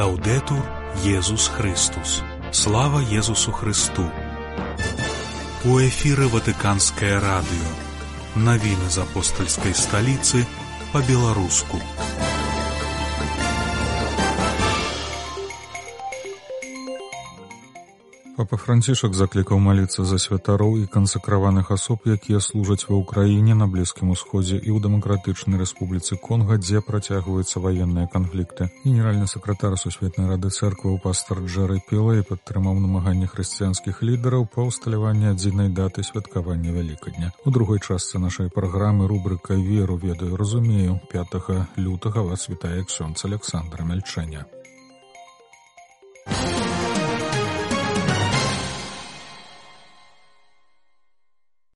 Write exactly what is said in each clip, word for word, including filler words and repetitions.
Лаўдэтур Езус Христус. Слава Езусу Христу. У эфіры Ватыканскае радыё. Навіны з апостальскай сталіцы па-беларуску. Папа Францішак заклікаў маліцца за святароў і кансакраваных асоб, якія служаць ва ўкраіне, на Блізкім Усходзе і ў Дэмакратычнай Рэспубліцы Конга, дзе працягваюцца ваенныя канфлікты. Генеральны сакратар Сусветнай рады цэркваў пастар Джэрэ Пілэй падтрымаў намаганні хрысціянскіх лідараў па ўсталяванні адзінай даты святкавання Вялікадня. У другой частцы нашай праграмы рубрыка «Веру, ведаю, разумею» пятага лютага вас вітае ксёндз Александр Мельчэня.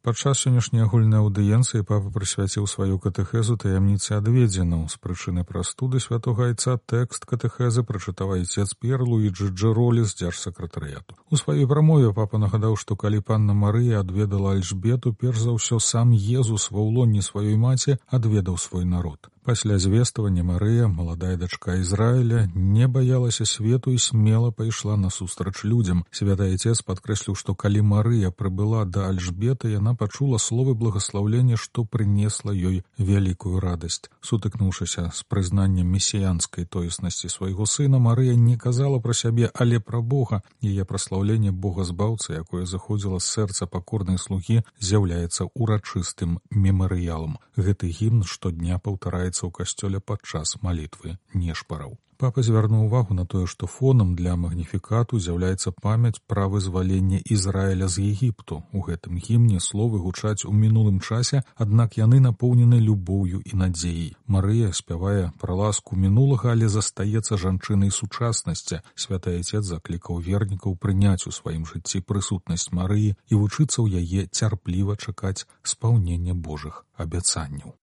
Падчас сённяшняй агульнай аўдыенцыі папа прысвяціў сваю катэхезу таямніцы адведзенаў. З прычыны прастуды святога айца тэкст катэхезы прачытаў айцец П'ер Луіджы Джэролі з дзяржсакратарыяту. У сваёй прамове папа нагадаў, што калі панна Марыя адведала Альжбету, перш за ўсё сам Езус ва ўлонні сваёй маці адведаў свой народ. Пасля звествавання Марыя, маладая дачка Ізраіля, не баялася свету і смела пайшла насустрач людзям. Святы айцец падкрэсліў, што калі Марыя прыбыла да Альжбеты, яна пачула словы благаслаўлення, што прынесла ёй вялікую радасць. Сутыкнуўшыся з прызнаннем месіянскай тоеснасці свайго сына, Марыя не казала пра сябе, але пра Бога. Яе праслаўленне Бога-збаўцы, якое заходзіла з сэрца пакорнай слугі, з'яўляецца урачыстым мемарыялам. Гэты гімн штодня паўтараецца ў касцёле падчас малітвы нешпараў. Папа звярнуў увагу на тое, што фонам для магніфікату з'яўляецца памяць пра вызваленне Ізраіля з Егіпту. У гэтым гімне словы гучаць у мінулым часе, аднак яны напоўнены любоўю і надзеяй. Марыя спявае пра ласку мінулага, але застаецца жанчынай сучаснасці. Святы айцец заклікаў вернікаў прыняць у сваім жыцці прысутнасць Марыі і вучыцца ў яе цярпліва чакаць спаўнення Божых абяцанняў.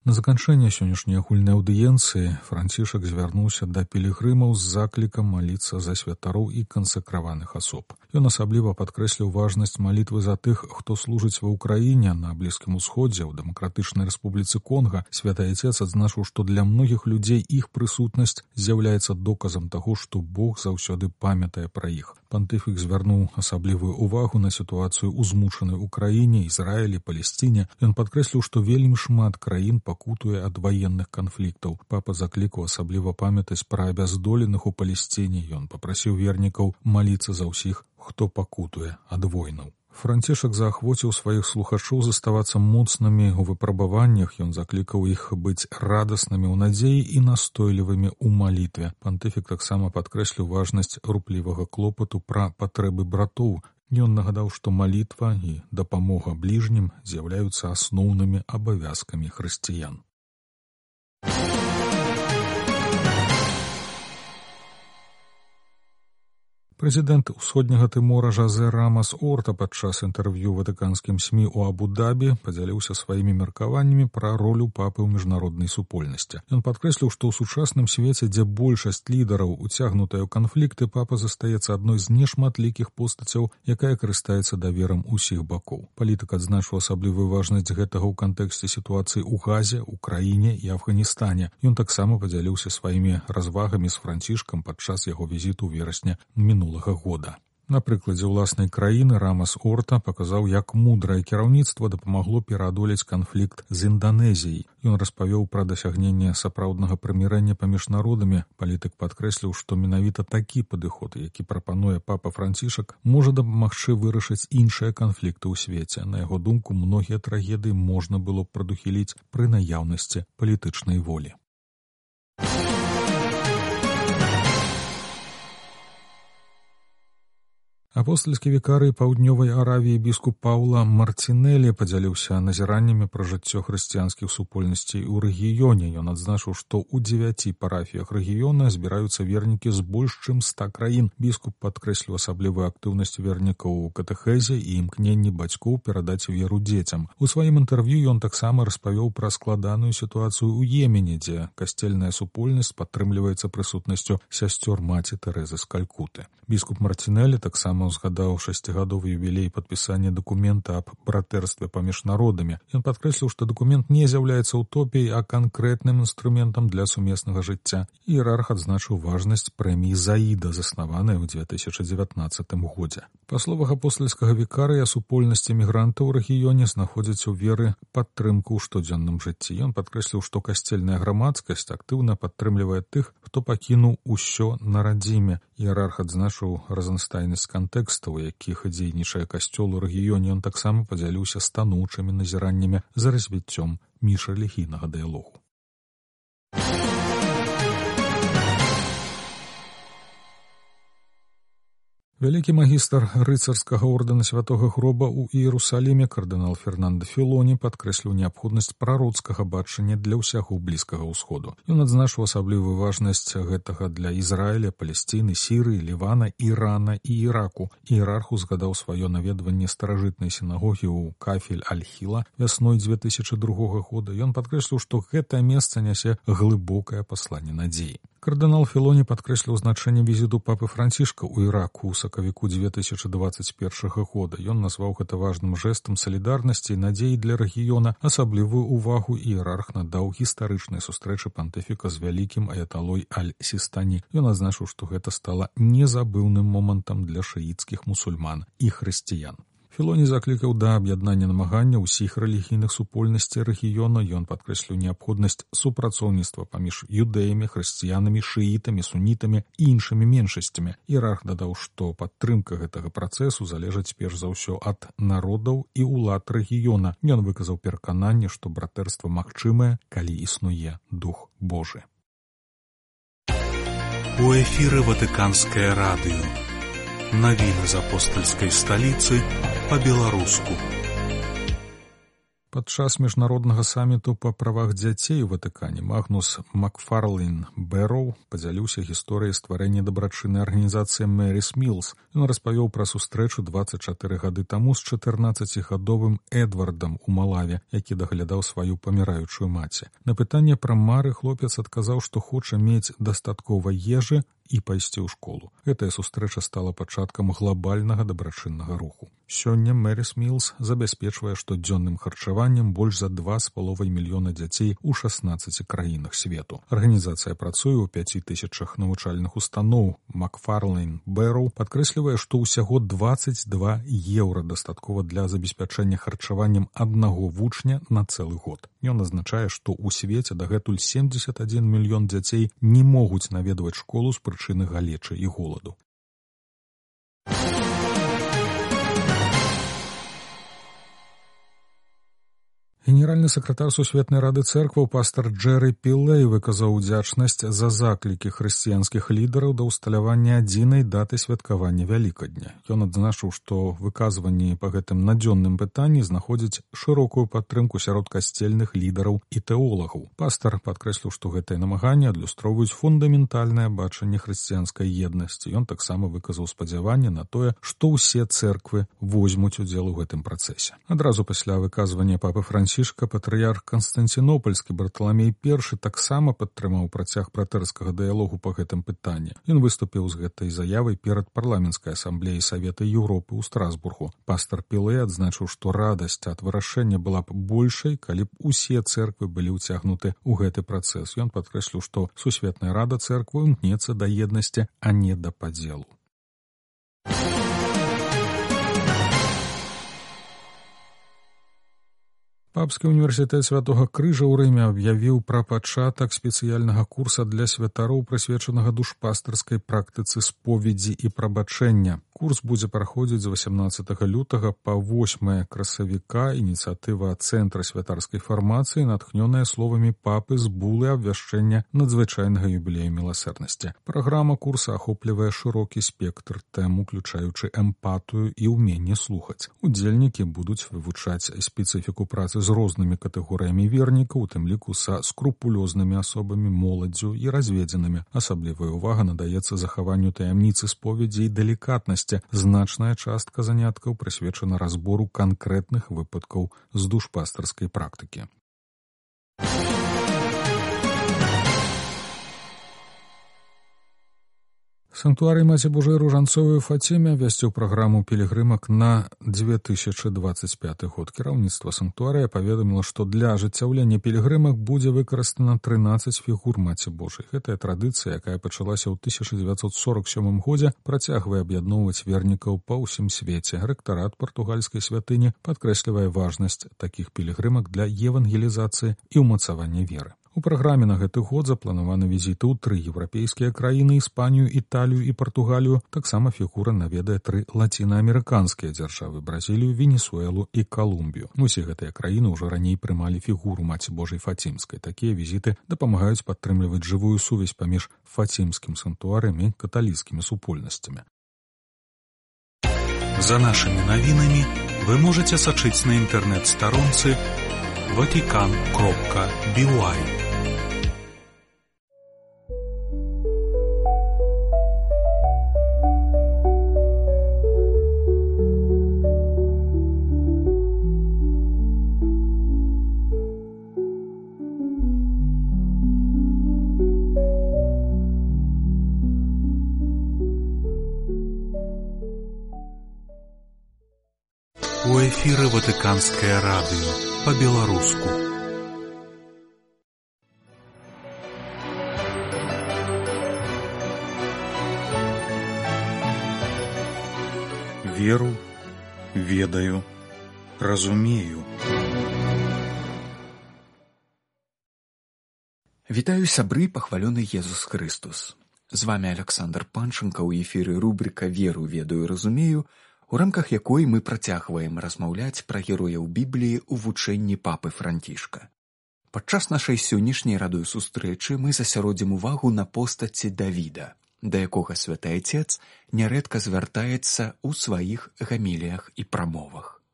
На заканчэнне сённяшняй агульнай аўдыенцыі Францішак звярнуўся да пілігрымаў з заклікам маліцца за святароў і кансакраваных асоб. Ён асабліва падкрэсліў важнасць малітвы за тых, хто служыць ва ўкраіне, на Блізкім Усходзе, ў Дэмакратычнай Рэспубліцы Конга. Святы айцец адзначыў, што для многіх людзей іх прысутнасць з'яўляецца доказам таго, што Бог заўсёды памятае пра іх. Пантыфік звярнуў асаблівую увагу на сітуацыю ў змучанай Украіне, Ізраілі, Палесціне. Ён падкрэсліў, што вельмі шмат краін пакутуе ад ваенных канфліктаў. Папа заклікаў асабліва памятаць пра абяздоленых у Палесціне. Ён папрасіў вернікаў маліцца за ўсіх, хто пакутуе ад войнаў. Францішак заахвоціў сваіх слухачоў заставацца моцнымі ў выпрабаваннях. Ён заклікаў іх быць радаснымі ў надзеі і настойлівымі ў малітве. Пантыфік таксама падкрэсліў важнасць руплівага клопату пра патрэбы братоў. Ён нагадаў, што малітва і дапамога бліжнім з'яўляюцца асноўнымі абавязкамі хрысціян. Прэзідэнт Усходняга Тымора Жозе Рамас Орта падчас інтэрв'ю ватыканскім СМІ ў Абу-Дабі падзяліўся сваімі меркаваннямі пра ролю папы ў міжнароднай супольнасці. Ён падкрэсліў, што ў сучасным свеце, дзе большасць лідараў уцягнутая ў канфлікты, папа застаецца адной з нешматлікіх постацяў, якая карыстаецца даверам усіх бакоў. Палітык адзначыў асаблівую важнасць гэтага ў кантэксце сітуацыі ў Газе, Украіне і Афганістане. Ён таксама падзяліўся сваімі развагамі з Францішкам падчас яго візіту ў верасні мінулага года. На прыкладзе ўласнай краіны Рамас Орта паказаў, як мудрае кіраўніцтва дапамагло пераадолець канфлікт з Інданезіяй. Ён распавёў пра дасягненне сапраўднага прымірэння паміж народамі. Палітык падкрэсліў, што менавіта такі падыход, які прапануе папа Францішак, можа дапамагчы вырашыць іншыя канфлікты ў свеце. На яго думку, многія трагедыі можна было б прадухіліць пры наяўнасці палітычнай волі. Апостальскі вікарый паўднёвай Аравіі біскуп Паўла Марцінэлі падзяліўся назіраннямі пра жыццё хрысціянскіх супольнасцей у рэгіёне. Ён адзначыў, што ў дзевяці парафіях рэгіёна збіраюцца вернікі з больш чым ста краін. Біскуп падкрэсліў асаблівую актыўнасць вернікаў у катэхезе і імкненні бацькоў перадаць веру дзецям. У сваім інтэрв'ю ён таксама распавёў пра складаную сітуацыю ў Йемене, дзе касцельная супольнасць падтрымліваецца прысутнасцю сясцёр маці Тэрэзы з Калькуты. Біскуп Марцінэлі таксама таксама ўзгадаў шасцігадовы юбілей падпісання дакумента аб братэрстве паміж народамі. Ён падкрэсліў, што дакумент не з'яўляецца утопіяй, а канкрэтным інструментам для сумеснага жыцця. Іерарх адзначыў важнасць прэміі «Заіда», заснаванай у две тысячы дзевятнаццатым годзе. Па словах апостальскага вікарыя, супольнасць эмігрантаў у рэгіёне знаходзіць у веры падтрымку ў штодзённым жыцці. Ён падкрэсліў, што касцельная грамадскасць актыўна падтрымлівае тых, хто пакінуў усё на радзіме. Іерарх адзначыў разнастайнасць кантэкстаў, у якіх дзейнічае касцёл у рэгіёне. Ён таксама падзяліўся станоўчымі назіраннямі за развіццём міжрэлігійнага дыялогу. Вялікі магістр рыцарскага ордэна святога гроба ў Іерусаліме кардынал Фернандо Філоні падкрэсліў неабходнасць прароцкага бачання для ўсяго Блізкага ўсходу. Ён адзначыў асаблівую важнасць гэтага для Ізраіля, Палесціны, Сірыі, Лівана, Ірана і Іраку. Іерарх узгадаў сваё наведванне старажытнай сінагогі ў Кафель-аль-Хіла вясной дзве тысячы другога года. Ён падкрэсліў, што гэтае месца нясе глыбокае пасланне надзеі. Кардынал Філоні падкрэсліў значэнне візіту папы Францішка ў Іраку ў сакавіку дзве тысячы дваццаць першага года. Ён назваў гэта важным жэстам салідарнасці і надзеі для рэгіёна. Асаблівую ўвагу іерарх надаў гістарычнай сустрэчы пантыфіка з вялікім аяталой Аль-Сістані. Ён адзначыў, што гэта стала незабыўным момантам для шыіцкіх мусульман і хрысціян. Філоні заклікаў да аб'яднання намагання ўсіх рэлігійных супольнасцей рэгіёна. Ён падкрэсліў неабходнасць супрацоўніцтва паміж юдэямі, хрысціянамі, шыітамі, сунітамі і іншымі меншасцямі. Іерарх дадаў, што падтрымка гэтага працэсу залежыць перш за ўсё ад народаў і ўлад рэгіёна. Ён выказаў перакананне, што братэрства магчымае, калі існуе Дух Божы. У эфіры Ватыканскае радыё. Навіны з апостальскай сталіцы па-беларуску. Падчас міжнароднага саміту па правах дзяцей у Ватыкане Магнус Макфарлейн Бэрроу падзяліўся гісторыяй стварэння дабрачыннай арганізацыі Мэрис Мілс. Ён распавёў пра сустрэчу дваццаць чатыры гады таму з чатырнаццацігадовым Эдвардам у Малаве, які даглядаў сваю паміраючую маці. На пытанне пра мары хлопец адказаў, што хоча мець дастаткова ежы і пайсці ў школу. Гэтая сустрэча стала пачаткам глобальнага дабрачыннага руху. Сёння Мэрис Мілс забяспечвае штодзённым харчаваннем больш за два з паловай мільёна дзяцей у шаснаццаці краінах свету. Арганізацыя працуе ў пяці тысячах навучальных устаноў. Макфарлейн Бэрроу падкрэслівае, што ўсяго дваццаць два еўра дастаткова для забеспячэння харчаваннем аднаго вучня на цэлы год. Ён азначае, што ў свеце дагэтуль семдзесят адзін мільён дзяцей не могуць наведваць школу з прычыны галечы і голаду. Генеральны сакратар Сусветнай рады цэркваў пастар Джэры Пілэй выказаў удзячнасць за заклікі хрысціянскіх лідараў да ўсталявання адзінай даты святкавання Вялікадня. Ён адзначыў, што выказванні па гэтым надзённым пытанні знаходзяць шырокую падтрымку сярод касцельных лідараў і тэолагаў. Пастар падкрэсліў, што гэтыя намаганні адлюстроўваюць фундаментальнае бачанне хрысціянскай еднасці. Ён таксама выказаў спадзяванне на тое, што ўсе цэрквы возьмуць удзел у гэтым працэсе. Адразу пасля выказвання папы Францішка патрыярх Канстанцінопольскі Барталамей першы таксама падтрымаў працяг братэрскага дыялогу па гэтым пытанні. Ён выступіў з гэтай заявай перад парламенцкай асамблеяй Савета Еўропы ў Страсбургу. Пастар Пілэй адзначыў, што радасць ад вырашэння была б большай, калі б усе цэрквы былі ўцягнуты ў гэты працэс. Ён падкрэсліў, што Сусветная рада цэрквы імкнецца да еднасці, а не да падзелу. Папскі універсітэт Святога Крыжа ў Рыме аб'явіў пра пачатак спецыяльнага курса для святароў, прысвечанага душпастарскай практыцы споведзі і прабачэння. Курс будзе праходзіць з васямнаццатага лютага па восьмае красавіка. Ініцыятыва Цэнтра святарскай фармацыі, натхнёная словамі папы з булы абвяшчэння надзвычайнага юбілею міласэрнасці. Праграма курса ахоплівае шырокі спектр тэм, уключаючы эмпатыю і ўменне слухаць. Удзельнікі будуць вывучаць спецыфіку працы з рознымі катэгорыямі вернікаў, у тым ліку са скрупулёзнымі асобамі, моладдзю і разведзенымі. Асаблівая ўвага надаецца захаванню таямніцы споведзі і далікатнасці. Значная частка заняткаў прысвечана разбору канкрэтных выпадкаў з душпастарскай практыкі. Санктуарый Маці Божай Ружанцовай у Фаціме абвясціў праграму пілігрымак на две тысячы двадцать пяты год. Кіраўніцтва санктуарыя паведаміла, што для ажыццяўлення пілігрымак будзе выкарыстана трынаццаць фігур Маці Божай. Гэтая традыцыя, якая пачалася ў тысяча дзевяцьсот сорок сёмым годзе, працягвае аб'ядноўваць вернікаў па ўсім свеце. Рэктарат партугальскай святыні падкрэслівае важнасць такіх пілігрымак для евангелізацыі і ўмацавання веры. У праграме на гэты год запланаваны візіты ў тры еўрапейскія краіны: Іспанію, Італію і Партугалію. Таксама фігура наведае тры лацінаамерыканскія дзяржавы: Бразілію, Венесуэлу і Калумбію. Усе гэтыя краіны ўжо раней прымалі фігуру Маці Божай Фацімскай. Такія візіты дапамагаюць падтрымліваць жывую сувязь паміж фацімскім санктуарыем і каталіцкімі супольнасцямі. За нашымі навінамі вы можаце сачыць на інтэрнэт-старонцы ватикан кропка би уай. У эфіры Ватыканскае радыё па-беларуску. Веру, ведаю, разумею. Вітаю, сябры, пахвалёны Езус Христус. З вами Александр Панченко, у эфіры рубрика «Веру, ведаю, разумею», у рамках якой мы працягваем размаўляць пра герояў Бібліі ў вучэнні папы Францішка. Падчас нашай сённяшняй радыёсустрэчы мы засяродзім увагу на постаці Давіда, да якога святы Айцец нярэдка звяртаецца ў сваіх гаміліях і прамовах.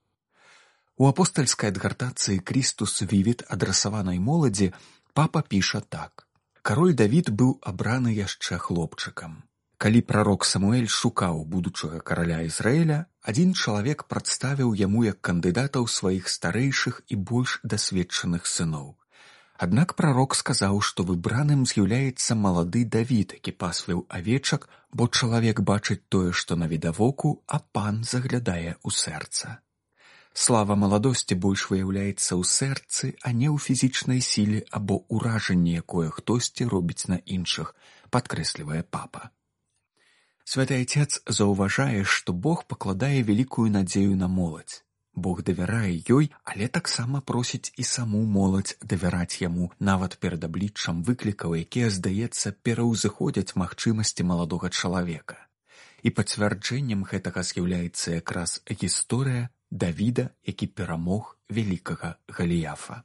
У апостальскай адгартацыі «Крістус вівіт», адрасаванай моладзі, папа піша так: «Кароль Давід быў абраны яшчэ хлопчыкам. Калі прарок Самуэль шукаў будучага караля Ізраіля, адзін чалавек прадставіў яму як кандыдатаў сваіх старэйшых і больш дасведчаных сыноў. Аднак прарок сказаў, што выбраным з'яўляецца малады Давід, які пасвіў авечак, бо чалавек бачыць тое, што навідавоку, а пан заглядае ў сэрца. Слава маладосці больш выяўляецца ў сэрцы, а не ў фізічнай сіле або ўражанні, якое хтосьці робіць на іншых», падкрэслівае папа. Святы Айцец заўважае, што Бог пакладае вялікую надзею на моладзь. Бог давярае ёй, але таксама просіць і саму моладзь давяраць яму, нават перад абліччам выклікаў, якія, здаецца, пераўзыходзяць магчымасці маладога чалавека. І пацвярджэннем гэтага з'яўляецца якраз гісторыя Давіда, які перамог вялікага Галіяфа.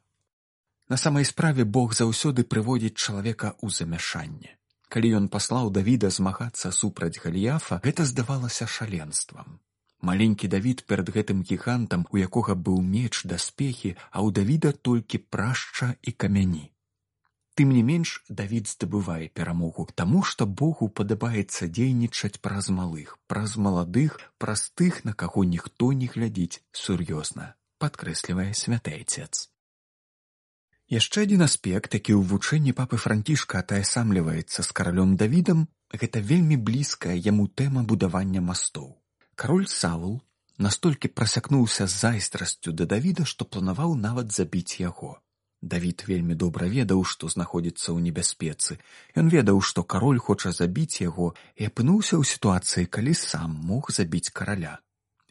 На самай справе Бог заўсёды прыводзіць чалавека ў замяшанне. Калі ён паслаў Давіда змагацца супраць Галіяфа, гэта здавалася шаленствам. Маленькі Давід перад гэтым гігантам, у якога быў меч, даспехі, а ў Давіда толькі прашча і камяні. Тым не менш, Давід здабывае перамогу, таму што Богу падабаецца дзейнічаць праз малых, праз маладых, праз тых, на каго ніхто не глядзіць сур'ёзна, падкрэслівае святы Айцец. Яшчэ адзін аспект, які ў вучэнні папы Францішка атаясамліваецца з каралём Давідам, гэта вельмі блізкая яму тэма будавання мастоў. Кароль Саул настолькі прасякнуўся з зайздрасцю да Давіда, што планаваў нават забіць яго. Давід вельмі добра ведаў, што знаходзіцца ў небяспецы. Ён ведаў, што кароль хоча забіць яго, і апынуўся ў сітуацыі, калі сам мог забіць караля.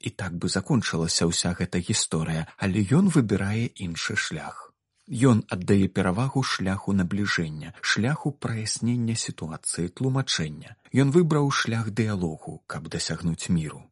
І так бы закончылася ўся гэта гісторыя, але ён выбірае іншы шлях. Ён аддае перавагу шляху набліжэння, шляху праяснення сітуацыі, тлумачэння. Ён выбраў шлях дыялогу, каб дасягнуць міру.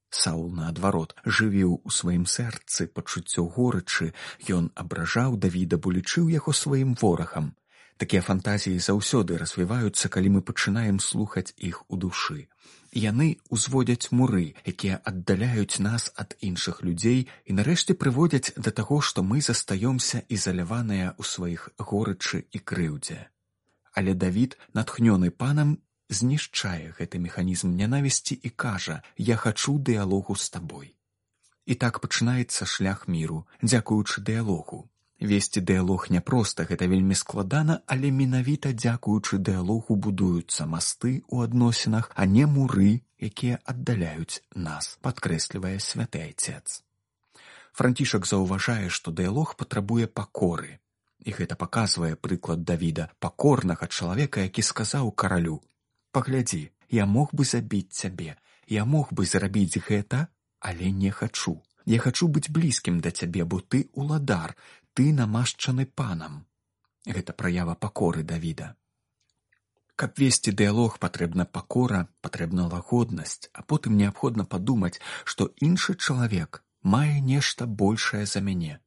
Саул, наадварот, жывіў у сваім сэрцы пачуццё горычы, ён абражаў Давіда, бо лічыў яго сваім ворагам. Такія фантазіі заўсёды развіваюцца, калі мы пачынаем слухаць іх у душы. Яны ўзводзяць муры, якія аддаляюць нас ад іншых людзей і нарэшце прыводзяць да таго, што мы застаёмся ізаляваныя ў сваіх горычы і крыўдзе. Але Давід, натхнёны панам, знішчае гэты механізм нянавісці і кажа: «Я хачу дыялогу з табой». І так пачынаецца шлях міру, дзякуючы дыялогу. Весці дыялог няпроста, гэта вельмі складана, але менавіта дзякуючы дыялогу будуюцца масты ў адносінах, а не муры, якія аддаляюць нас, падкрэслівае святы айцец. Францішак заўважае, што дыялог патрабуе пакоры. І гэта паказвае прыклад Давіда, пакорнага чалавека, які сказаў каралю: «Паглядзі, я мог бы забіць цябе, я мог бы зрабіць гэта, але не хачу. Я хачу быць блізкім да цябе, бо ты уладар, ты намашчаны панам». Гэта праява пакоры Давіда. Каб весці дыялог, патрэбна пакора, патрэбна лагоднасць, а потым неабходна падумаць, што іншы чалавек мае нешта большае за мяне.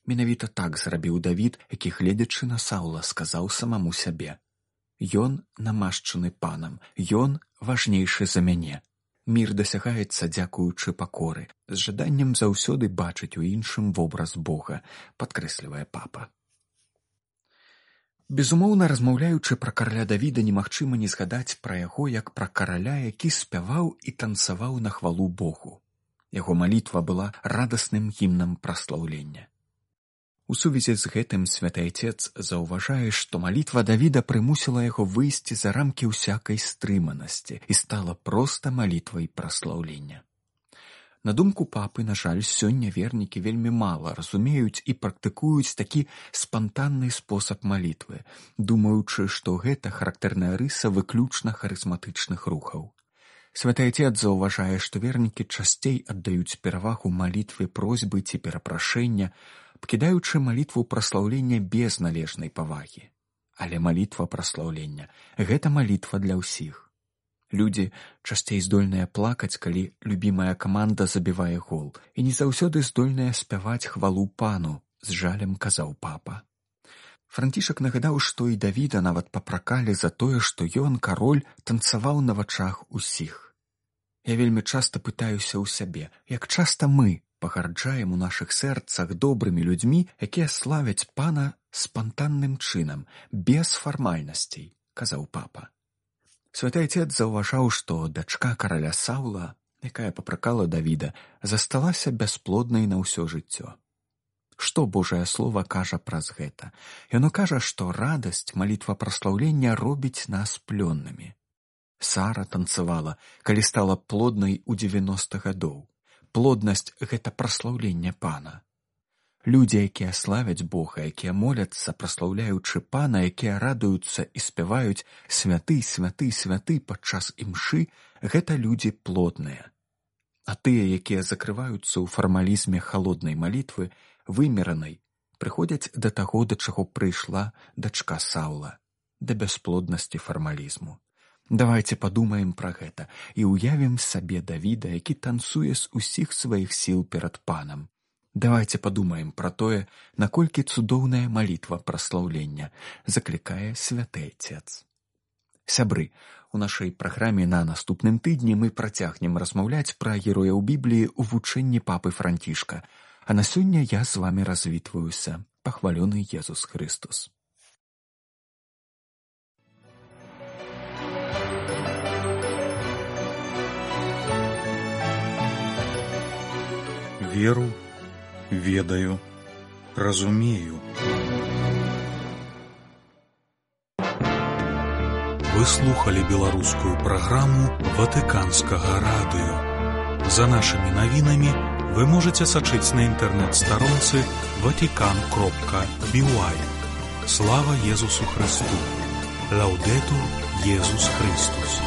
Менавіта так зрабіў Давід, які, гледзячы на Саўла, сказаў самаму сябе: «Ён намашчаны панам, ён важнейшы за мяне». Мір дасягаецца дзякуючы пакоры, з жаданнем заўсёды бачыць у іншым вобраз Бога, падкрэслівае папа. Безумоўна, размаўляючы пра караля Давіда, немагчыма не згадаць пра яго як пра караля, які спяваў і танцаваў на хвалу Богу. Яго малітва была радасным гімнам праслаўлення. У сувязі з гэтым святы айцец заўважае, што малітва Давіда прымусіла яго выйсці за рамкі ўсякай стрыманасці і стала проста малітвай праслаўлення. На думку папы, на жаль, сёння вернікі вельмі мала разумеюць і практыкуюць такі спантанны спосаб малітвы, думаючы, што гэта характэрная рыса выключна харызматычных рухаў. Святы айцец заўважае, што вернікі часцей аддаюць перавагу малітве просьбы ці перапрашэння, пакідаючы малітву праслаўлення без належнай павагі. Але малітва праслаўлення – гэта малітва для ўсіх. Людзі часцей здольныя плакаць, калі любімая каманда забівае гол, і не заўсёды здольныя спяваць хвалу пану, з жалем казаў папа. Францішак нагадаў, што і Давіда нават папракалі за тое, што ён, кароль, танцаваў на вачах усіх. Я вельмі часта пытаюся ў сябе, як часта мы пагарджаем у нашых сэрцах добрымі людзьмі, якія славяць пана спантанным чынам, без фармальнасцей, казаў папа. Святы айцец заўважаў, што дачка караля Саўла, якая папракала Давіда, засталася бясплоднай на ўсё жыццё. Што Божае Слова кажа праз гэта? Яно кажа, што радасць, малітва праслаўлення робіць нас плённымі. Сара танцавала, калі стала плоднай у дзевяноста гадоў. Плоднасць – гэта праслаўленне пана. Людзі, якія славяць Бога, якія моляцца, праслаўляючы пана, якія радуюцца і спяваюць «Святы, святы, святы» падчас імшы, гэта людзі плодныя. А тыя, якія закрываюцца ў фармалізме халоднай малітвы, вымеранай, прыходзяць да таго, да чаго прыйшла дачка Саўла, да бясплоднасці фармалізму. Давайце падумаем пра гэта і ўявім сабе Давіда, які танцуе з усіх сваіх сіл перад панам. Давайце падумаем пра тое, наколькі цудоўная малітва праслаўлення, заклікае святы айцец. Сябры, у нашай праграме на наступным тыдні мы працягнем размаўляць пра герояў Бібліі ў вучэнні папы Францішка, а на сёння я з вамі развітваюся. Пахвалёны Езус Христос. Веру, ведаю, разумею. Вы слухали беларускую праграму Ватыканскага радыё. За нашымі навінамі вы можаце сачыць на інтэрнэт-старонцы ватикан кропка би уай. Слава Езусу Христу! Лаўдэтур Езус Христус!